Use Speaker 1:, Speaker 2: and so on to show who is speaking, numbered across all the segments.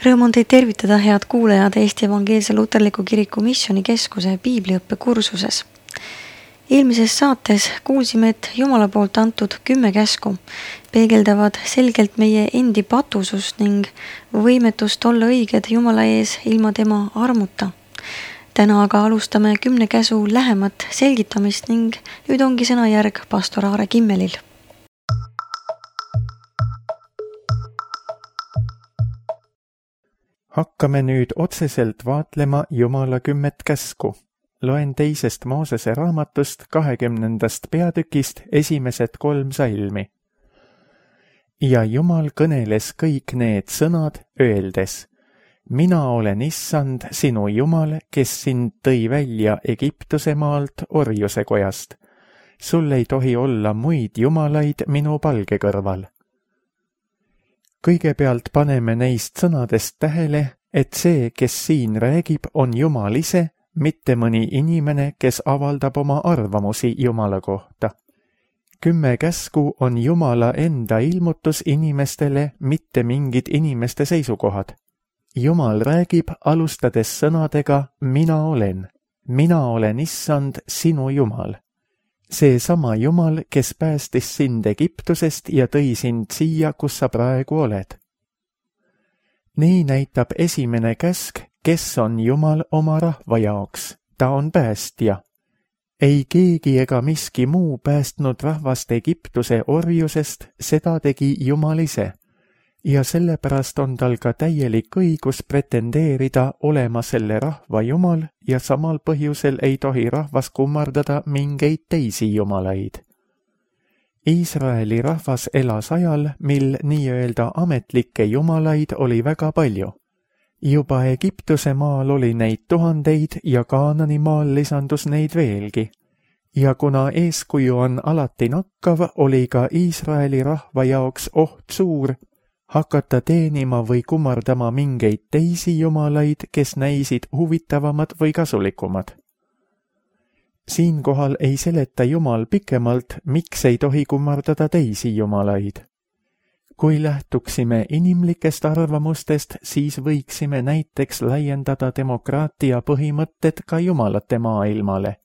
Speaker 1: Rõõm on teid tervitada, head kuulajad, Eesti Evangeelse Luterliku Kiriku Missioonikeskuse piibliõppe kursuses. Eelmises saates kuulsime, et Jumala poolt antud 10 käsku peegeldavad selgelt meie endi patusust ning võimetust olla õiged Jumala ees ilma tema armuta. Täna aga alustame 10 käsu lähemat selgitamist ning nüüd ongi sõnajärg pastor Aare Kimmelil.
Speaker 2: Hakkame nüüd otseselt vaatlema Jumala 10 käsku. Loen 2. Moosese raamatust 20. peatükist esimesed 3 salmi. Ja Jumal kõneles kõik need sõnad, öeldes: Mina olen Issand, sinu Jumal, kes sind tõi välja Egiptuse maalt orjuse kojast. Sul ei tohi olla muid jumalaid minu palge kõrval. Kõigepealt paneme neist sõnadest tähele, et see, kes siin räägib, on Jumal ise, mitte mõni inimene, kes avaldab oma arvamusi Jumala kohta. 10 käsku on Jumala enda ilmutus inimestele, mitte mingid inimeste seisukohad. Jumal räägib, alustades sõnadega Mina olen Issand, sinu Jumal. Seesama Jumal, kes päästis sind Egiptusest ja tõi sind siia, kus sa praegu oled. Nii näitab esimene käsk, kes on Jumal oma rahva jaoks. Ta on päästja. Ei keegi ega miski muu päästnud rahvast Egiptuse orjusest, seda tegi Jumal ise. Ja sellepärast on tal ka täielik õigus pretendeerida olema selle rahva Jumal ja samal põhjusel ei tohi rahvas kummardada mingeid teisi jumalaid. Iisraeli rahvas elas ajal, mil nii-öelda ametlikke jumalaid oli väga palju. Juba Egiptuse maal oli neid tuhandeid ja Kaanani maal lisandus neid veelgi. Ja kuna eeskuju on alati nakkav, oli ka Iisraeli rahva jaoks oht suur, hakata teenima või kummardama mingeid teisi jumalaid, kes näisid huvitavamad või kasulikumad. Siinkohal ei seleta Jumal pikemalt, miks ei tohi kummardada teisi jumalaid. Kui lähtuksime inimlikest arvamustest, siis võiksime näiteks laiendada demokraatia põhimõtted ka jumalate maailmale.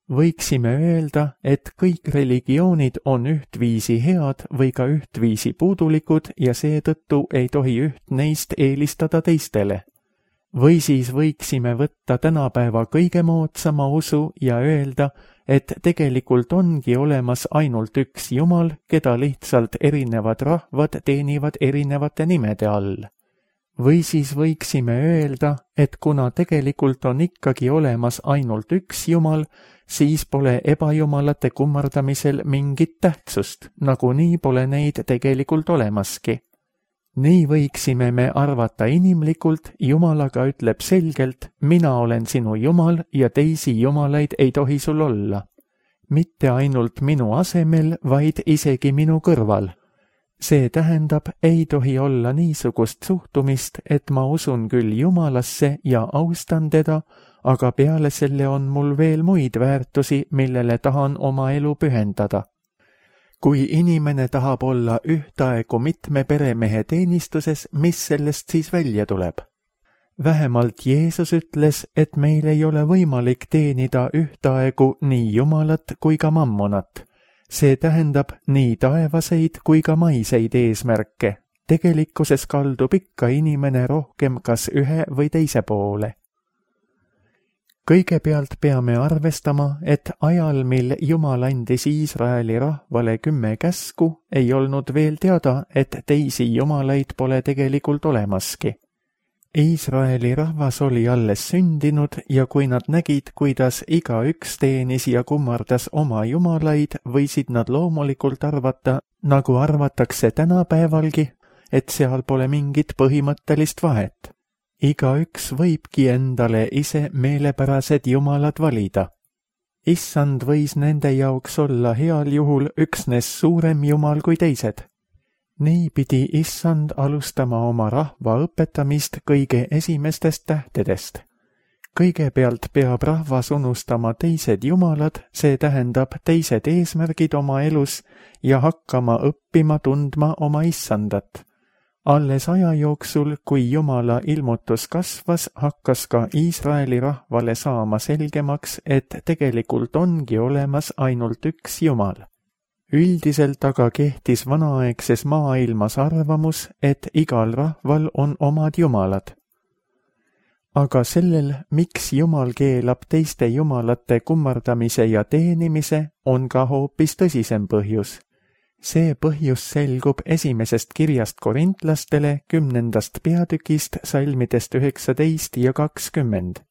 Speaker 2: Võiksime öelda, et kõik religioonid on ühtviisi head või ka ühtviisi puudulikud ja seetõttu ei tohi üht neist eelistada teistele. Või siis võiksime võtta tänapäeva kõige moodsama usu ja öelda, et tegelikult ongi olemas ainult üks Jumal, keda lihtsalt erinevad rahvad teenivad erinevate nimede all. Või siis võiksime öelda, et kuna tegelikult on ikkagi olemas ainult üks Jumal, siis pole ebajumalate kummardamisel mingit tähtsust, nagunii pole neid tegelikult olemaski. Nii võiksime me arvata inimlikult, Jumal aga ütleb selgelt, Mina olen sinu Jumal ja teisi jumalaid ei tohi sul olla. Mitte ainult minu asemel, vaid isegi minu kõrval. See tähendab, ei tohi olla niisugust suhtumist, et ma usun küll Jumalasse ja austan teda, aga peale selle on mul veel muid väärtusi, millele tahan oma elu pühendada. Kui inimene tahab olla ühtaegu mitme peremehe teenistuses, mis sellest siis välja tuleb? Vähemalt Jeesus ütles, et meil ei ole võimalik teenida ühtaegu nii Jumalat kui ka mammonat. See tähendab nii taevaseid kui ka maiseid eesmärke. Tegelikkuses kaldub ikka inimene rohkem kas ühe või teise poole. Kõigepealt peame arvestama, et ajal, mil Jumal andis Iisraeli rahvale 10 käsku, ei olnud veel teada, et teisi jumalaid pole tegelikult olemaski. Iisraeli rahvas oli alles sündinud ja kui nad nägid, kuidas igaüks teenis ja kummardas oma jumalaid, võisid nad loomulikult arvata, nagu arvatakse tänapäevalgi, et seal pole mingit põhimõttelist vahet. Igaüks võibki endale ise meelepärased jumalad valida. Issand võis nende jaoks olla heal juhul üksnes suurem jumal kui teised. Nii pidi Issand alustama oma rahva õpetamist kõige esimestest tähtedest. Kõigepealt peab rahvas unustama teised jumalad, see tähendab teised eesmärgid oma elus ja hakkama õppima tundma oma Issandat. Alles aja jooksul, kui Jumala ilmutus kasvas, hakkas ka Iisraeli rahvale saama selgemaks, et tegelikult ongi olemas ainult üks Jumal. Üldiselt aga kehtis vanaaegses maailmas arvamus, et igal rahval on omad jumalad. Aga sellel, miks Jumal keelab teiste jumalate kummardamise ja teenimise, on ka hoopis tõsisem põhjus. See põhjus selgub esimesest kirjast korintlastele 10. peatükist salmidest 19 ja 20.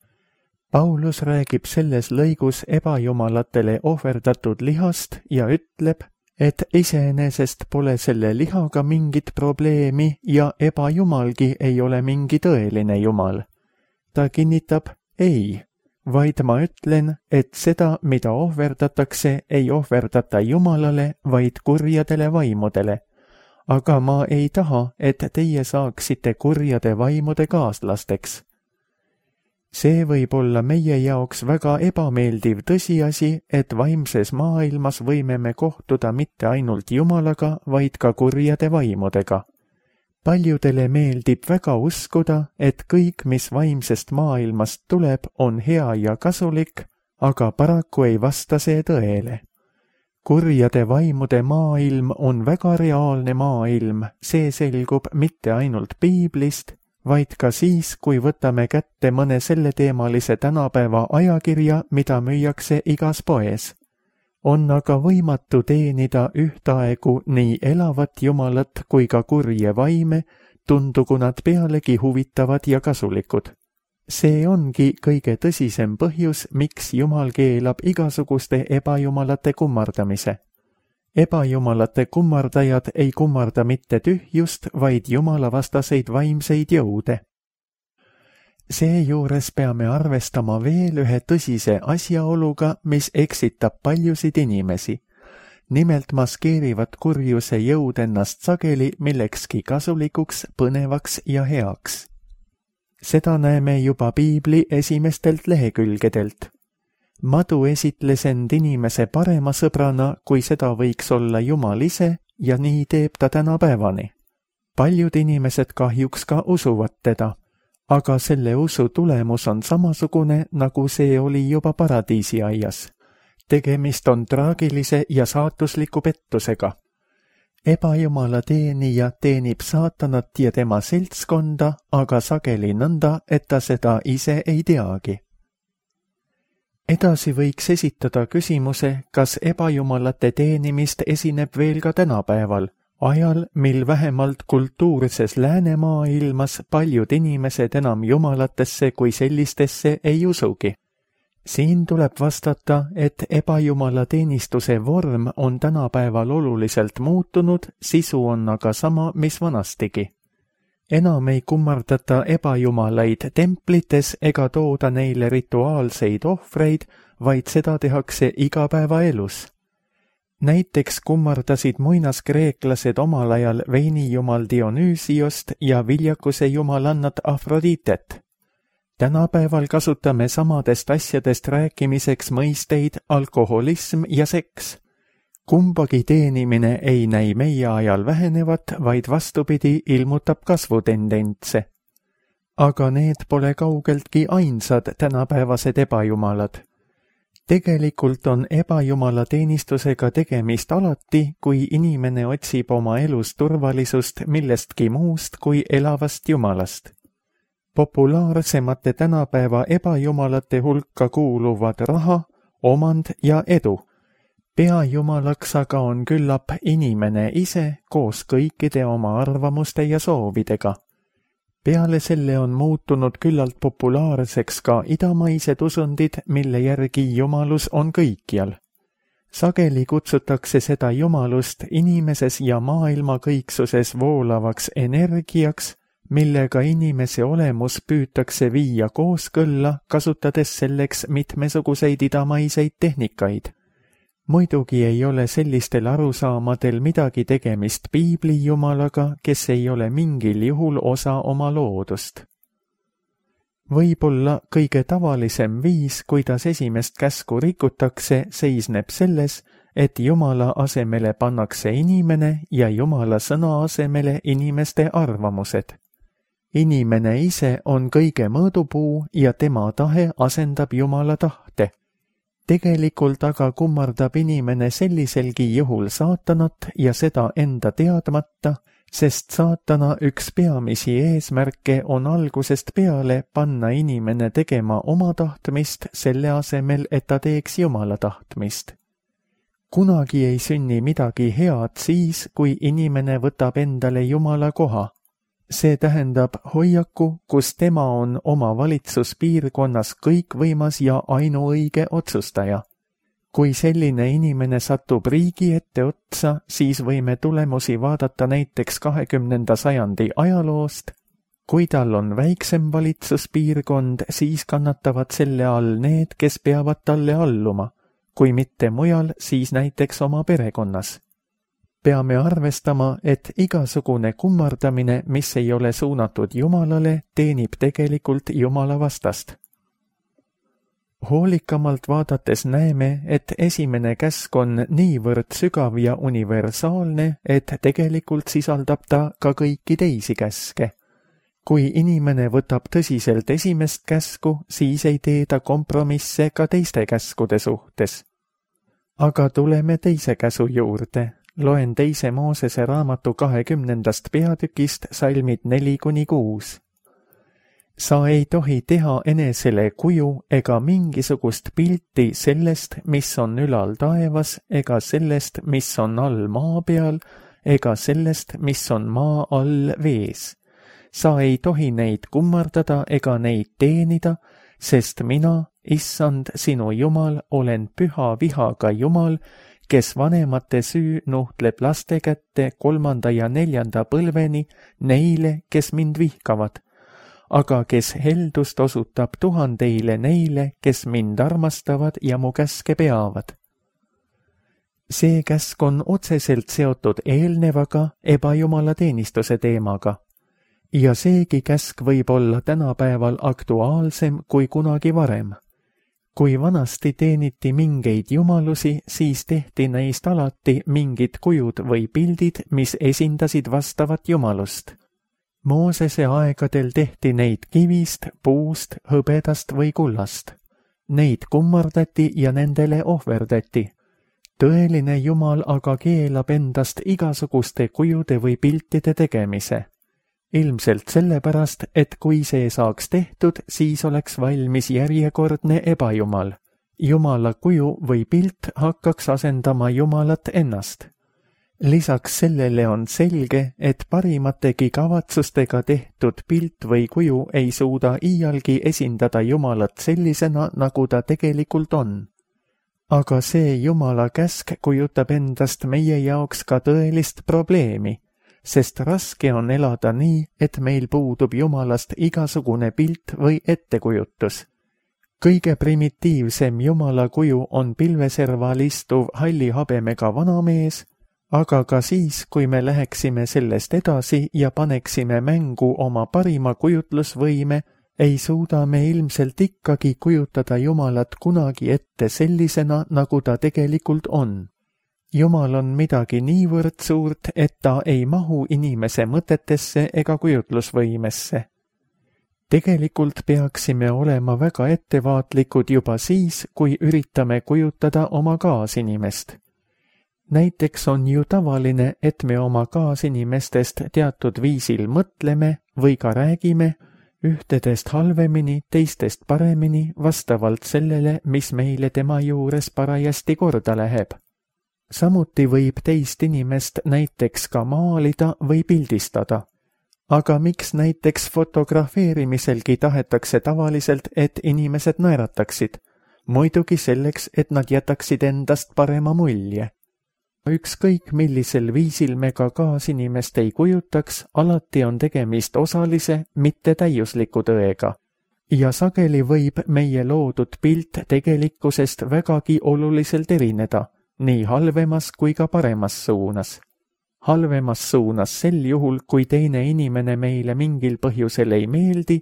Speaker 2: Paulus räägib selles lõigus ebajumalatele ohverdatud lihast ja ütleb, et iseenesest pole selle lihaga mingit probleemi ja ebajumalgi ei ole mingi tõeline jumal. Ta kinnitab, ei, vaid ma ütlen, et seda, mida ohverdatakse, ei ohverdata Jumalale, vaid kurjadele vaimudele. Aga ma ei taha, et teie saaksite kurjade vaimude kaaslasteks. See võib olla meie jaoks väga ebameeldiv tõsiasi, et vaimses maailmas võime me kohtuda mitte ainult Jumalaga, vaid ka kurjade vaimudega. Paljudele meeldib väga uskuda, et kõik, mis vaimsest maailmast tuleb, on hea ja kasulik, aga paraku ei vasta see tõele. Kurjade vaimude maailm on väga reaalne maailm, see selgub mitte ainult piiblist, vaid ka siis, kui võtame kätte mõne selleteemalise tänapäeva ajakirja, mida müüakse igas poes. On aga võimatu teenida ühtaegu nii elavat Jumalat kui ka kurje vaime, tundugu nad pealegi huvitavad ja kasulikud. See ongi kõige tõsisem põhjus, miks Jumal keelab igasuguste ebajumalate kummardamise. Ebajumalate kummardajad ei kummarda mitte tühjust, vaid jumalavastaseid vaimseid jõude. Seejuures peame arvestama veel ühe tõsise asjaoluga, mis eksitab paljusid inimesi. Nimelt maskeerivad kurjuse jõud ennast sageli millekski kasulikuks, põnevaks ja heaks. Seda näeme juba piibli esimestelt lehekülgedelt. Madu esitles end inimese parema sõbrana, kui seda võiks olla Jumal ise, ja nii teeb ta tänapäevani. Paljud inimesed kahjuks ka usuvad teda. Aga selle usu tulemus on samasugune, nagu see oli juba paradiisiaias. Tegemist on traagilise ja saatusliku pettusega. Ebajumala teenija teenib saatanat ja tema seltskonda, aga sageli nõnda, et ta seda ise ei teagi. Edasi võiks esitada küsimuse, kas ebajumalate teenimist esineb veel ka tänapäeval, ajal, mil vähemalt kultuurses läänemaailmas paljud inimesed enam jumalatesse kui sellistesse ei usugi. Siin tuleb vastata, et ebajumala teenistuse vorm on tänapäeval oluliselt muutunud, sisu on aga sama, mis vanastigi. Enam ei kummardata ebajumalaid templites ega tooda neile rituaalseid ohvreid, vaid seda tehakse igapäevaelus. Näiteks kummardasid muinaskreeklased omal ajal veinijumal Dionüüsiost ja viljakuse jumalannat Afroditet. Tänapäeval kasutame samadest asjadest rääkimiseks mõisteid alkoholism ja seks. Kumbagi teenimine ei näi meie ajal vähenevat, vaid vastupidi ilmutab kasvutendentse. Aga need pole kaugeltki ainsad tänapäevased ebajumalad. Tegelikult on ebajumala teenistusega tegemist alati, kui inimene otsib oma elus turvalisust millestki muust kui elavast jumalast. Populaarsemate tänapäeva ebajumalate hulka kuuluvad raha, omand ja edu. Peajumalaks aga on küllap inimene ise koos kõikide oma arvamuste ja soovidega. Peale selle on muutunud küllalt populaarseks ka idamaised usundid, mille järgi jumalus on kõikjal. Sageli kutsutakse seda jumalust inimeses ja maailma kõiksuses voolavaks energiaks, millega inimese olemus püütakse viia kooskõlla, kasutades selleks mitmesuguseid idamaiseid tehnikaid. Muidugi ei ole sellistel arusaamadel midagi tegemist piibli jumalaga, kes ei ole mingil juhul osa oma loodust. Võib-olla kõige tavalisem viis, kuidas esimest käsku rikutakse, seisneb selles, et Jumala asemele pannakse inimene ja Jumala sõna asemele inimeste arvamused. Inimene ise on kõige mõõdupuu ja tema tahe asendab Jumala tahte. Tegelikult aga kummardab inimene selliselgi juhul saatanat ja seda enda teadmata, sest saatana üks peamisi eesmärke on algusest peale panna inimene tegema oma tahtmist selle asemel, et ta teeks Jumala tahtmist. Kunagi ei sünni midagi head siis, kui inimene võtab endale Jumala koha. See tähendab hoiaku, kus tema on oma valitsuspiirkonnas kõikvõimas ja ainuõige otsustaja. Kui selline inimene satub riigi ette otsa, siis võime tulemusi vaadata näiteks 20. sajandi ajaloost. Kui tal on väiksem valitsuspiirkond, siis kannatavad selle all need, kes peavad talle alluma. Kui mitte mujal, siis näiteks oma perekonnas. Peame arvestama, et igasugune kummardamine, mis ei ole suunatud Jumalale, teenib tegelikult Jumala vastast. Hoolikamalt vaadates näeme, et esimene käsk on niivõrd sügav ja universaalne, et tegelikult sisaldab ta ka kõiki teisi käske. Kui inimene võtab tõsiselt esimest käsku, siis ei tee ta kompromisse ka teiste käskude suhtes. Aga tuleme teise käsu juurde. Loen 2. Moosese raamatu 20. peatükist salmid 4-6. Sa ei tohi teha enesele kuju ega mingisugust pilti sellest, mis on ülal taevas, ega sellest, mis on all maa peal, ega sellest, mis on maa all vees. Sa ei tohi neid kummardada ega neid teenida, sest mina, Issand, sinu Jumal, olen püha vihaga Jumal, kes vanemate süü nuhtleb laste kätte 3. ja 4. põlveni neile, kes mind vihkavad, aga kes heldust osutab 1000 neile, kes mind armastavad ja mu käske peavad. See käsk on otseselt seotud eelnevaga ebajumalateenistuse teemaga. Ja seegi käsk võib olla tänapäeval aktuaalsem kui kunagi varem. Kui vanasti teeniti mingeid jumalusi, siis tehti neist alati mingid kujud või pildid, mis esindasid vastavat jumalust. Moosese aegadel tehti neid kivist, puust, hõbedast või kullast. Neid kummardati ja nendele ohverdati. Tõeline Jumal aga keelab endast igasuguste kujude või piltide tegemise. Ilmselt sellepärast, et kui see saaks tehtud, siis oleks valmis järjekordne ebajumal. Jumala kuju või pilt hakkaks asendama Jumalat ennast. Lisaks sellele on selge, et parimategi kavatsustega tehtud pilt või kuju ei suuda iialgi esindada Jumalat sellisena, nagu ta tegelikult on. Aga see Jumala käsk kujutab endast meie jaoks ka tõelist probleemi, sest raske on elada nii, et meil puudub Jumalast igasugune pilt või ettekujutus. Kõige primitiivsem Jumala kuju on pilveserval istuv halli habemega vanamees, aga ka siis, kui me läheksime sellest edasi ja paneksime mängu oma parima kujutlusvõime, ei suuda me ilmselt ikkagi kujutada Jumalat kunagi ette sellisena, nagu ta tegelikult on. Jumal on midagi niivõrd suurt, et ta ei mahu inimese mõtetesse ega kujutlusvõimesse. Tegelikult peaksime olema väga ettevaatlikud juba siis, kui üritame kujutada oma kaasinimest. Näiteks on ju tavaline, et me oma kaasinimestest teatud viisil mõtleme või ka räägime, ühtedest halvemini, teistest paremini, vastavalt sellele, mis meile tema juures parajasti korda läheb. Samuti võib teist inimest näiteks ka maalida või pildistada. Aga miks näiteks fotografeerimiselgi tahetakse tavaliselt, et inimesed naerataksid? Muidugi selleks, et nad jätaksid endast parema mulje. Ükskõik millisel viisil me ka kaasinimest ei kujutaks, alati on tegemist osalise, mitte täiusliku tõega. Ja sageli võib meie loodud pilt tegelikkusest vägagi oluliselt erineda, nii halvemas kui ka paremas suunas. Halvemas suunas sel juhul, kui teine inimene meile mingil põhjusel ei meeldi,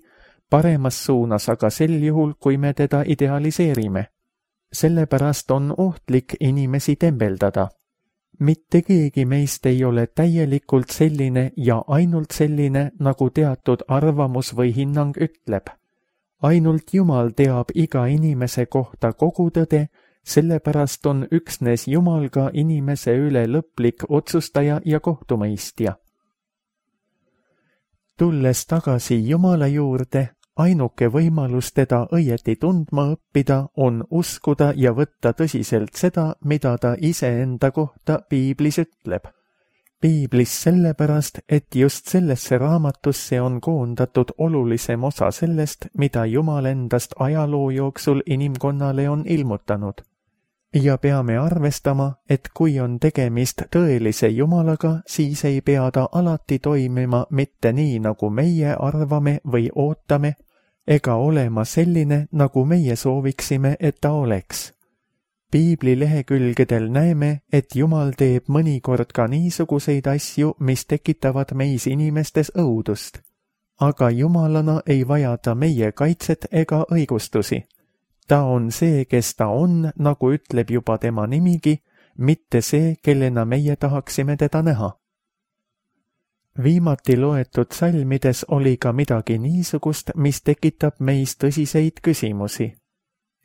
Speaker 2: paremas suunas aga sel juhul, kui me teda idealiseerime. Sellepärast on ohtlik inimesi tembeldada. Mitte keegi meist ei ole täielikult selline ja ainult selline, nagu teatud arvamus või hinnang ütleb. Ainult Jumal teab iga inimese kohta kogu tõde, sellepärast on üksnes Jumal ka inimese üle lõplik otsustaja ja kohtumõistja. Tulles tagasi Jumala juurde, ainuke võimalus teda õieti tundma õppida on uskuda ja võtta tõsiselt seda, mida ta iseenda kohta Piiblis ütleb. Piiblis sellepärast, et just sellesse raamatusse on koondatud olulisem osa sellest, mida Jumal endast ajaloo jooksul inimkonnale on ilmutanud. Ja peame arvestama, et kui on tegemist tõelise Jumalaga, siis ei pea ta alati toimima mitte nii, nagu meie arvame või ootame, ega olema selline, nagu meie sooviksime, et ta oleks. Piibli lehekülgedel näeme, et Jumal teeb mõnikord ka niisuguseid asju, mis tekitavad meis inimestes õudust. Aga Jumalana ei vaja ta meie kaitset ega õigustusi. Ta on see, kes ta on, nagu ütleb juba tema nimigi, mitte see, kellena meie tahaksime teda näha. Viimati loetud salmides oli ka midagi niisugust, mis tekitab meis tõsiseid küsimusi.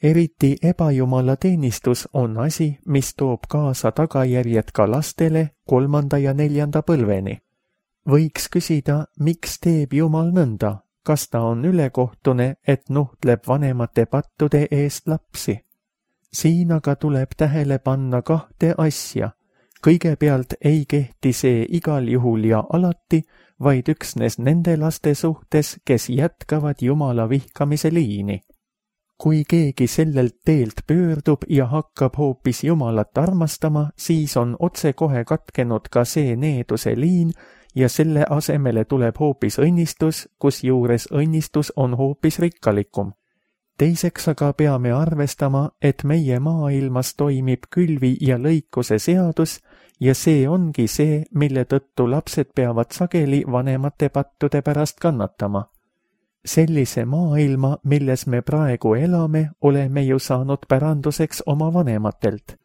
Speaker 2: Eriti ebajumala teenistus on asi, mis toob kaasa tagajärjed ka lastele 3. ja 4. põlveni. Võiks küsida, miks teeb Jumal nõnda? Kas ta on ülekohtune, et nuhtleb vanemate pattude eest lapsi? Siin aga tuleb tähele panna 2 asja. Kõigepealt ei kehti see igal juhul ja alati, vaid üksnes nende laste suhtes, kes jätkavad Jumala vihkamise liini. Kui keegi sellelt teelt pöördub ja hakkab hoopis Jumalat armastama, siis on otsekohe katkenud ka see needuse liin ja selle asemele tuleb hoopis õnnistus, kusjuures õnnistus on hoopis rikkalikum. Teiseks aga peame arvestama, et meie maailmas toimib külvi ja lõikuse seadus ja see ongi see, mille tõttu lapsed peavad sageli vanemate pattude pärast kannatama. Sellise maailma, milles me praegu elame, oleme ju saanud päranduseks oma vanematelt.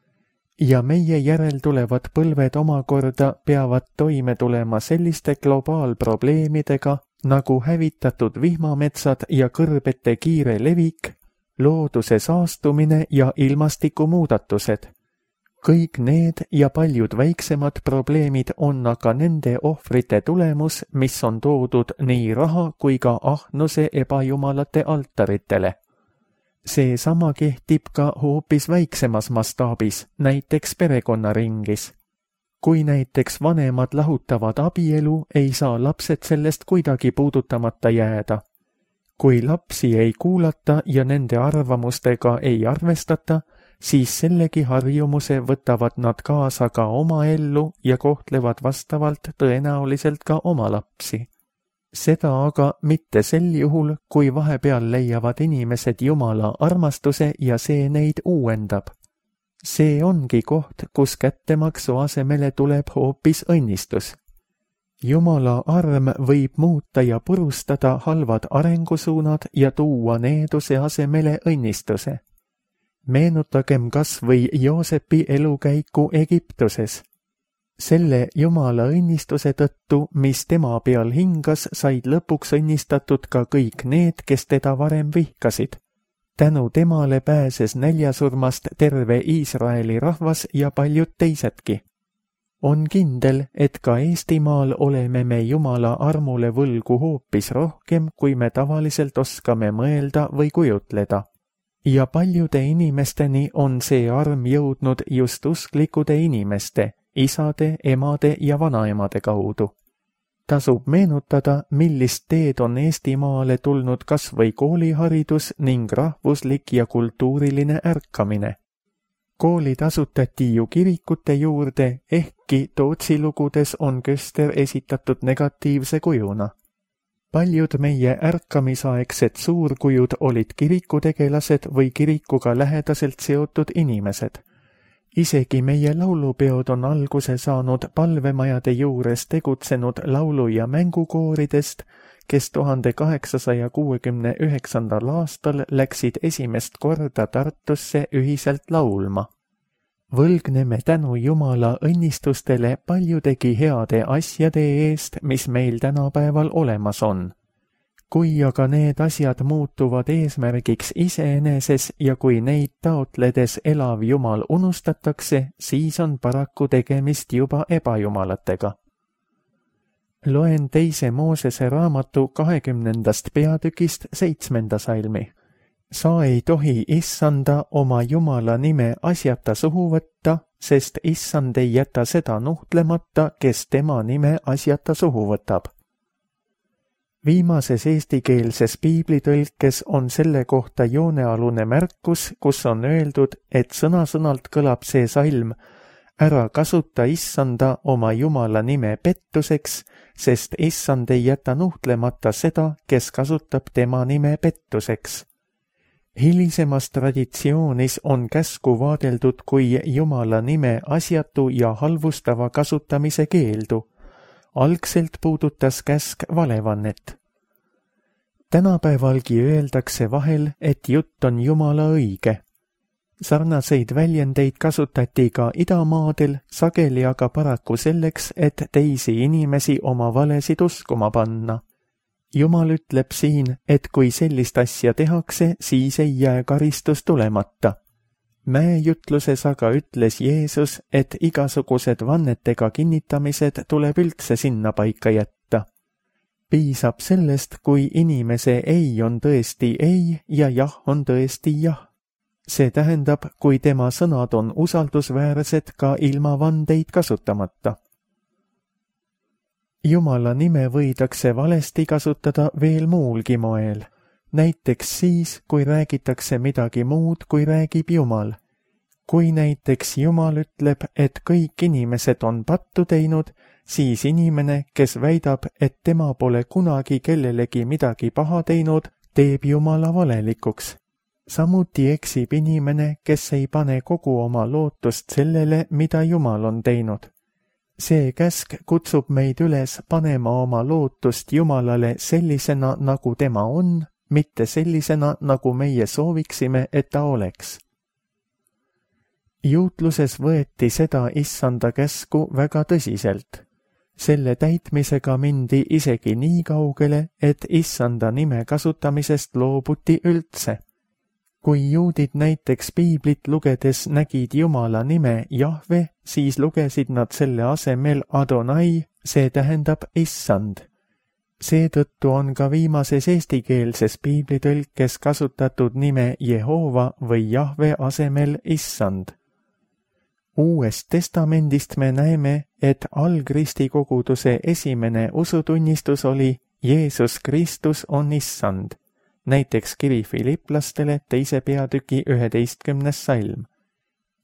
Speaker 2: Ja meie järeltulevad põlved omakorda peavad toime tulema selliste globaalprobleemidega, nagu hävitatud vihmametsad ja kõrbete kiire levik, looduse saastumine ja ilmastikumuudatused. Kõik need ja paljud väiksemad probleemid on aga nende ohvrite tulemus, mis on toodud nii raha kui ka ahnuse ebajumalate altaritele. Seesama kehtib ka hoopis väiksemas mastaabis, näiteks perekonnaringis. Kui näiteks vanemad lahutavad abielu, ei saa lapsed sellest kuidagi puudutamata jääda. Kui lapsi ei kuulata ja nende arvamustega ei arvestata, siis sellegi harjumuse võtavad nad kaasa ka oma ellu ja kohtlevad vastavalt tõenäoliselt ka oma lapsi. Seda aga mitte sel juhul, kui vahepeal leiavad inimesed Jumala armastuse ja see neid uuendab. See ongi koht, kus kättemaksu asemele tuleb hoopis õnnistus. Jumala arm võib muuta ja purustada halvad arengusuunad ja tuua needuse asemele õnnistuse. Meenutagem kas või Joosepi elukäiku Egiptuses. Selle Jumala õnnistuse tõttu, mis tema peal hingas, said lõpuks õnnistatud ka kõik need, kes teda varem vihkasid. Tänu temale pääses näljasurmast terve Iisraeli rahvas ja paljud teisedki. On kindel, et ka Eestimaal oleme me Jumala armule võlgu hoopis rohkem, kui me tavaliselt oskame mõelda või kujutleda. Ja paljude inimesteni on see arm jõudnud just usklikude inimeste, isade, emade ja vanaemade kaudu. Tasub meenutada, millist teed on Eestimaale tulnud kas või kooliharidus ning rahvuslik ja kultuuriline ärkamine. Koolid asutati ju kirikute juurde, ehkki Tootsi lugudes on Köster esitatud negatiivse kujuna. Paljud meie ärkamisaegsed suurkujud olid kirikutegelased või kirikuga lähedaselt seotud inimesed. Isegi meie laulupeod on alguse saanud palvemajade juures tegutsenud laulu- ja mängukooridest, kes 1869. aastal läksid esimest korda Tartusse ühiselt laulma. Võlgneme tänu Jumala õnnistustele paljudegi heade asjade eest, mis meil tänapäeval olemas on. Kui aga need asjad muutuvad eesmärgiks iseeneses ja kui neid taotledes elav Jumal unustatakse, siis on paraku tegemist juba ebajumalatega. Loen 2. Moosese raamatu 20. peatükist 7. salmi. Sa ei tohi Issanda oma Jumala nime asjata suhu võtta, sest Issand ei jäta seda nuhtlemata, kes tema nime asjata suhu võtab. Viimases eestikeelses piiblitõlkes on selle kohta joonealune märkus, kus on öeldud, et sõna-sõnalt kõlab see salm: ära kasuta Issanda oma Jumala nime pettuseks, sest Issand ei jäta nuhtlemata seda, kes kasutab tema nime pettuseks. Hilisemas traditsioonis on käsku vaadeldud kui Jumala nime asjatu ja halvustava kasutamise keeldu. Algselt puudutas käsk valevannet. Tänapäevalgi öeldakse vahel, et jutt on Jumala õige. Sarnaseid väljendeid kasutati ka idamaadel, sageli aga paraku selleks, et teisi inimesi oma valesid uskuma panna. Jumal ütleb siin, et kui sellist asja tehakse, siis ei jää karistus tulemata. Mäejutluses aga ütles Jeesus, et igasugused vannetega kinnitamised tuleb üldse sinna paika jätta. Piisab sellest, kui inimese ei on tõesti ei ja jah on tõesti jah. See tähendab, kui tema sõnad on usaldusväärsed ka ilma vandeid kasutamata. Jumala nime võidakse valesti kasutada veel muulgi moel. Näiteks siis, kui räägitakse midagi muud, kui räägib Jumal. Kui näiteks Jumal ütleb, et kõik inimesed on pattu teinud, siis inimene, kes väidab, et tema pole kunagi kellelegi midagi paha teinud, teeb Jumala valelikuks. Samuti eksib inimene, kes ei pane kogu oma lootust sellele, mida Jumal on teinud. See käsk kutsub meid üles panema oma lootust Jumalale sellisena, nagu tema on, mitte sellisena, nagu meie sooviksime, et ta oleks. Juutluses võeti seda Issanda käsku väga tõsiselt. Selle täitmisega mindi isegi nii kaugele, et Issanda nime kasutamisest loobuti üldse. Kui juudid näiteks piiblit lugedes nägid Jumala nime Jahve, siis lugesid nad selle asemel Adonai, see tähendab Issand. Seetõttu on ka viimases eestikeelses piiblitõlkes kasutatud nime Jehova või Jahve asemel Issand. Uuest testamendist me näeme, et algristikoguduse esimene usutunnistus oli Jeesus Kristus on Issand. Näiteks kiri Filiplastele 2. peatüki 11. salm.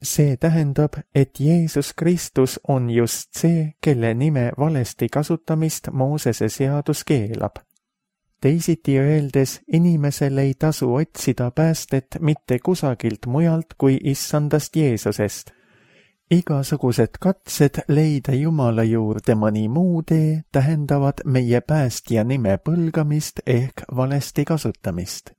Speaker 2: See tähendab, et Jeesus Kristus on just see, kelle nime valesti kasutamist Moosese seadus keelab. Teisiti öeldes, inimesel ei tasu otsida päästet mitte kusagilt mujalt kui Issandast Jeesusest. Igasugused katsed leida Jumala juurde mõni muu tee tähendavad meie päästja nime põlgamist ehk valesti kasutamist.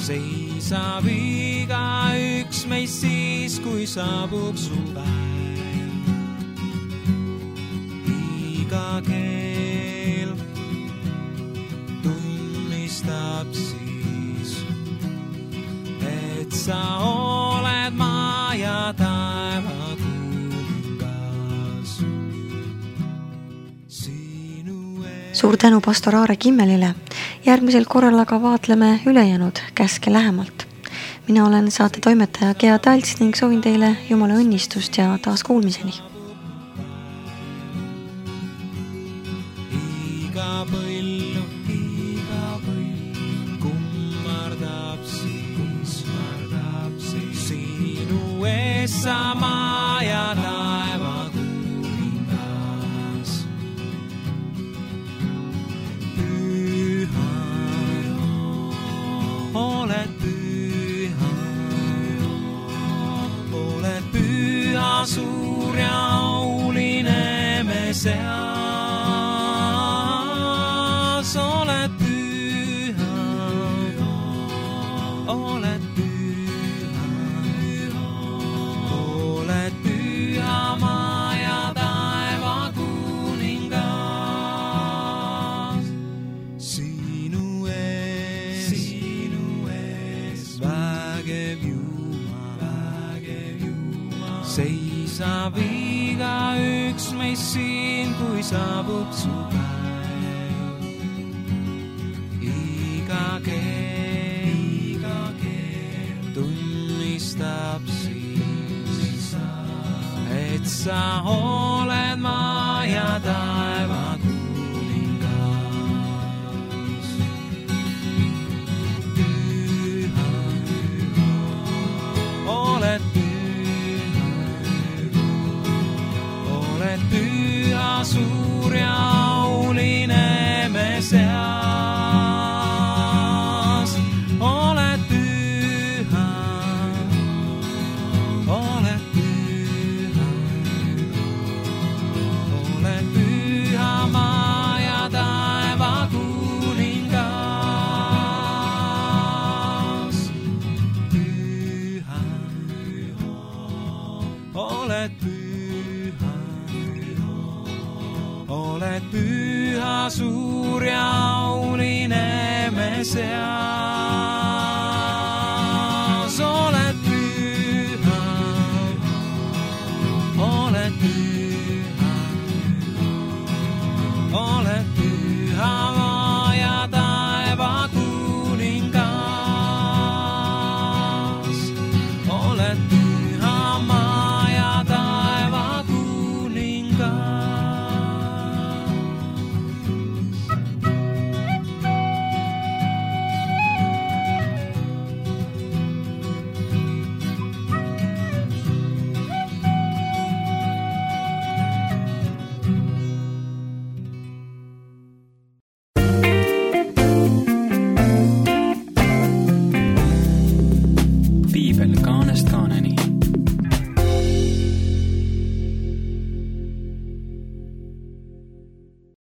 Speaker 3: Seisab igaüks meist siis, kui saabub su päev. Iga keel tunnistab siis, et sa oled maa ja taeva kuningas.
Speaker 1: Suur tänu pastor Aare Kimmelile. Järgmisel korral aga vaatleme ülejäänud käske lähemalt. Mina olen saate toimetaja Gea Talts ning soovin teile Jumala õnnistust ja taas kuulmiseni.
Speaker 3: Iga põllu kummardab siis sinu ees sa maa ja taeva kuningas. Püha, oled püha, oled püha, suur ja auline me seas. Oled püha, oled püha, oled püha, maa ja taeva kuningas. Sinu ees vägev Jumal, seisab igaüks meist siin, kui saabub su päev. Iga keel tunnistab siis, et sa oled maa ja taeva kuningas. Püha, oled püha, oled püha, suur ja auline me seas. Oled püha, oled püha, oled püha, maa ja taeva kuningas. Püha, oled püha, oled püha, suur ja auline me seas.